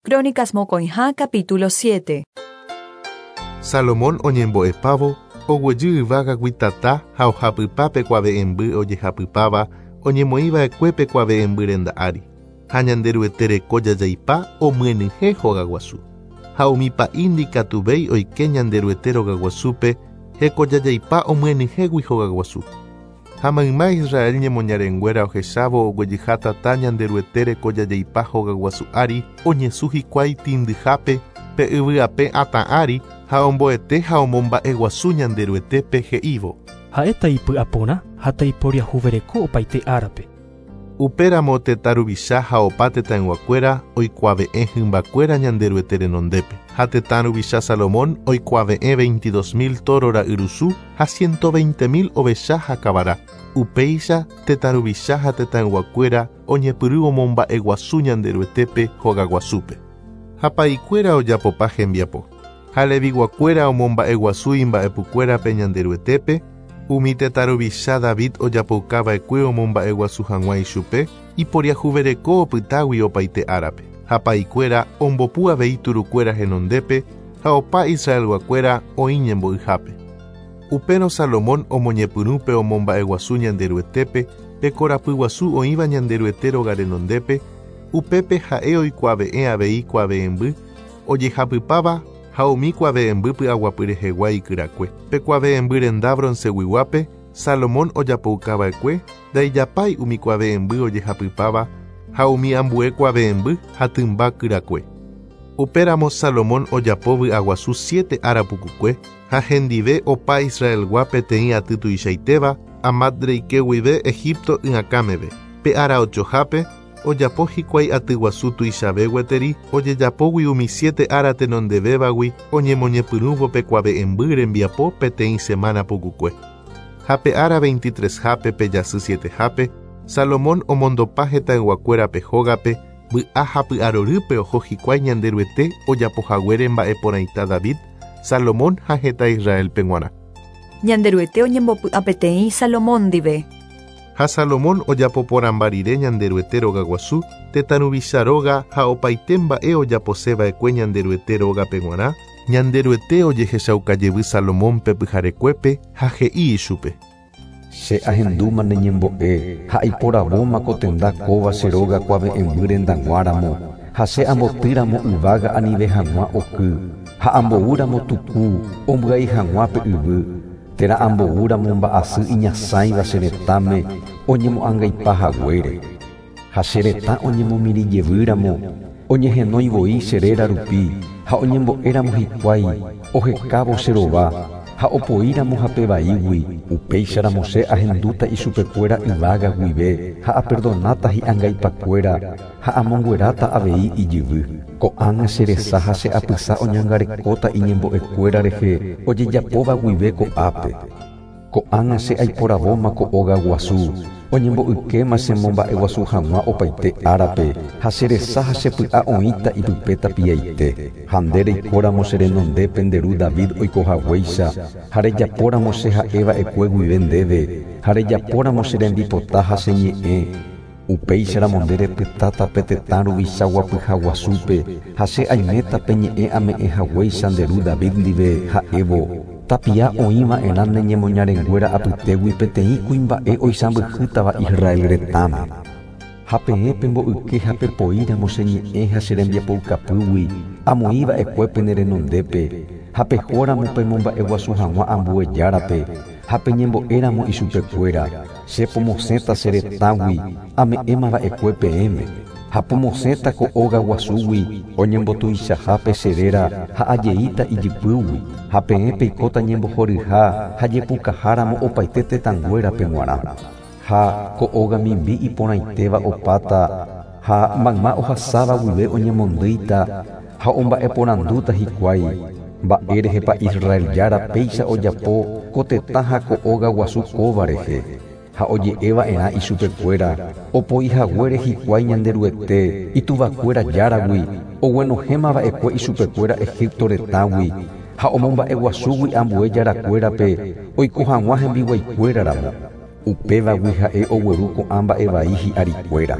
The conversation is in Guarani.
Crónicas mokõiha capítulo 7. Salomón oñembo'epávo, oguejy yvágagui tata ha ohapypa pe kuave'ẽmby ojehapypáva oñemoĩva'ekue pe kuave'ẽmby renda ári, ha Ñanderuete reko jajaipa omyenyhẽ hogaguasu. Ha umi pa'i ndikatuvéi oike Ñanderuete rogaguasúpe hekojajaipa omyenyhẽgui hogaguasu. Ha mayma Israel ñemoñarenguéra ohechávo oguejyha tata Ñanderuete rekojajaipa hogaguasu ári oñesũ hikuái tĩndyhápe pe yvy ape atã ári ha omboete ha omomba'eguasu Ñanderuetépe he'ívo. Ha'éta ipy'aporã ha taiporiahuvereko opaite árape. Upéramo tetã ruvicha ha opa tetãyguakuéra oikuave'ẽ hymbakuéra Ñanderuete renondépe. Ha tetã ruvicha Salomón oikuave'ẽ 22.000 tóro ra'yrusu ha 120.000 ovecha ha kavara. Upéicha tetã ruvicha ha tetãyguakuéra oñepyrũ omomba'eguasu Ñanderuetépe hogaguasúpe. Ha pa'ikuéra ojapopa hembiapo. Ha leviguakuéra omomba'eguasu imba'epukuérape Ñanderuetépe, umi tetã ruvicha David ojapoukava'ekue omomba'eguasu hag̃ua ichupe, iporiahuvereko opytágui opaite árape. Ha pa'ikuéra ombopu avei turukuéra henondépe ha opa Israelguakuéra oĩ ñembo'yhápe. Upérõ Salomón omoñepyrũ pe omomba'eguasu Ñanderuetépe pe korapyguasu oĩva Ñanderuete róga renondépe, upépe ha'e oikuave'ẽ avei kuave'ẽmby ojehapypáva ha umi kuave'ẽmby py'aguapy rehegua ikyrakue. Pe kuave'ẽmby renda bronceguiguápe Salomón ojapoukava'ekue ndaijapái umi kuave'ẽmby ojehapypáva ha umi ambue kuave'ẽmby ha tymba kyrakue. Upéramo Salomón ojapo vy'aguasu siete ára pukukue ha hendive opa Israelgua peteĩ aty tuichaitéva Amat reike guive Egipto y'akãmeve. Pe ára ochohápe ojapo hikuái atyguasu tuichave gueteri ojejapógui umi siete ára tenondevévagui oñemoñepyrũvo pe kuave'ẽmby rembiapo peteĩ semana pukukue. Ha pe ára 23-hápe pe jasy 7-hápe Salomón omondopa hetãyguakuérape hógape vy'a ha py'arorýpe oho hikuái Ñanderuete ojapohaguére mba'eporãita David, Salomón ha heta Israelpe g̃uarã. Ñanderuete oñembopy'apeteĩ Salomón ndive. Ha Salomón ojapoporãmba rire Ñanderuete rogaguasu, tetã ruvicha róga ha opaite mba'e ojaposeva'ekue Ñanderuete rógape g̃uarã, Ñanderuete ojehechaukajevy Salomónpe pyharekuépe ha he'i ichupe. Che ahendúma ne ñembo'e ha aiporavóma ko tenda kóva che róga kuave'ẽmby rendag̃uáramo, ha che ambotýramo yvága anive hag̃ua oky, ha amboúramo tuku ombyai hag̃ua pe yvy, térã amboúramo mba'asy iñasãiva che retãme oñemo'angaipa haguére. Ha che retã oñemomirĩjevýramo, oñehenói voi che réra rupi ha oñembo'éramo hikuái ohekávo che rova ha opoíramo hape vaígui, upéicharamo che ahendúta ichupekuéra yvága guive ha aperdonáta hi'angaipakuéra ha amongueráta avei ijyvy. Ko'ág̃a che resa ha che apysa oñangarekóta iñembo'ekuéra rehe ojejapóva guive ko'ápe. Ko'ág̃a che aiporavóma ko óga guasu, oñembo'ykéma chemomba'eguasu hag̃ua opaite árape ha che resa ha che py'a oĩta ipype tapiaite. Ha nde reikóramo che renondépe nde ru David oikohaguéicha ha rejapóramo che ha'eva'ekue guive ndéve ha rejapóramo che rembipota ha che ñe'ẽ, upéicharamo nde repytáta pe tetã ruvicha guapyha guasúpe ha che aiméta pe ñe'ẽ ame'ẽhaguéicha nde ru David ndive ha'évo, Tapia oĩva'erã ne ñemoñarenguéra apytégui peteĩ kuimba'e oisãmbyhýtava Israel retãme. Ha peẽ pemboyke ha pepoíramo che ñe'ẽ ha che rembiapoukapýgui amoĩva'ekue pene renondépe, ha pehóramo pemomba'eguasu hag̃ua ambue járape ha peñembo'éramo ichupekuéra, che pomosẽta che retãgui ame'ẽmava'ekue peẽme, ha pomosẽta ko óga guasúgui oñembotuichahápe che réra ha ajeíta ijypýgui, ha peẽ peikóta ñembohoryha ha jepukaháramo opaite tetãnguérape g̃uarã. Ha ko óga mimbi iporãitéva opáta ha mayma ohasáva guive oñemondýita ha omba'eporandúta hikuái, Mba'érehepa Israel Jára péicha ojapo ko tetã ha ko óga guasu kóva rehe? Ha oje'eva'erã ichupekuéra, opoihaguére hikuái Ñanderuete, ituvakuéra Járagui, oguenohẽmava'ekue ichupekuéra Egipto retãgui, ha omomba'eguasúgui ambue jarakuérape oiko hag̃ua hembiguaikuéra ramo. Upévagui ha'e ogueru ko'ã mba'e vai hi'arikuéra.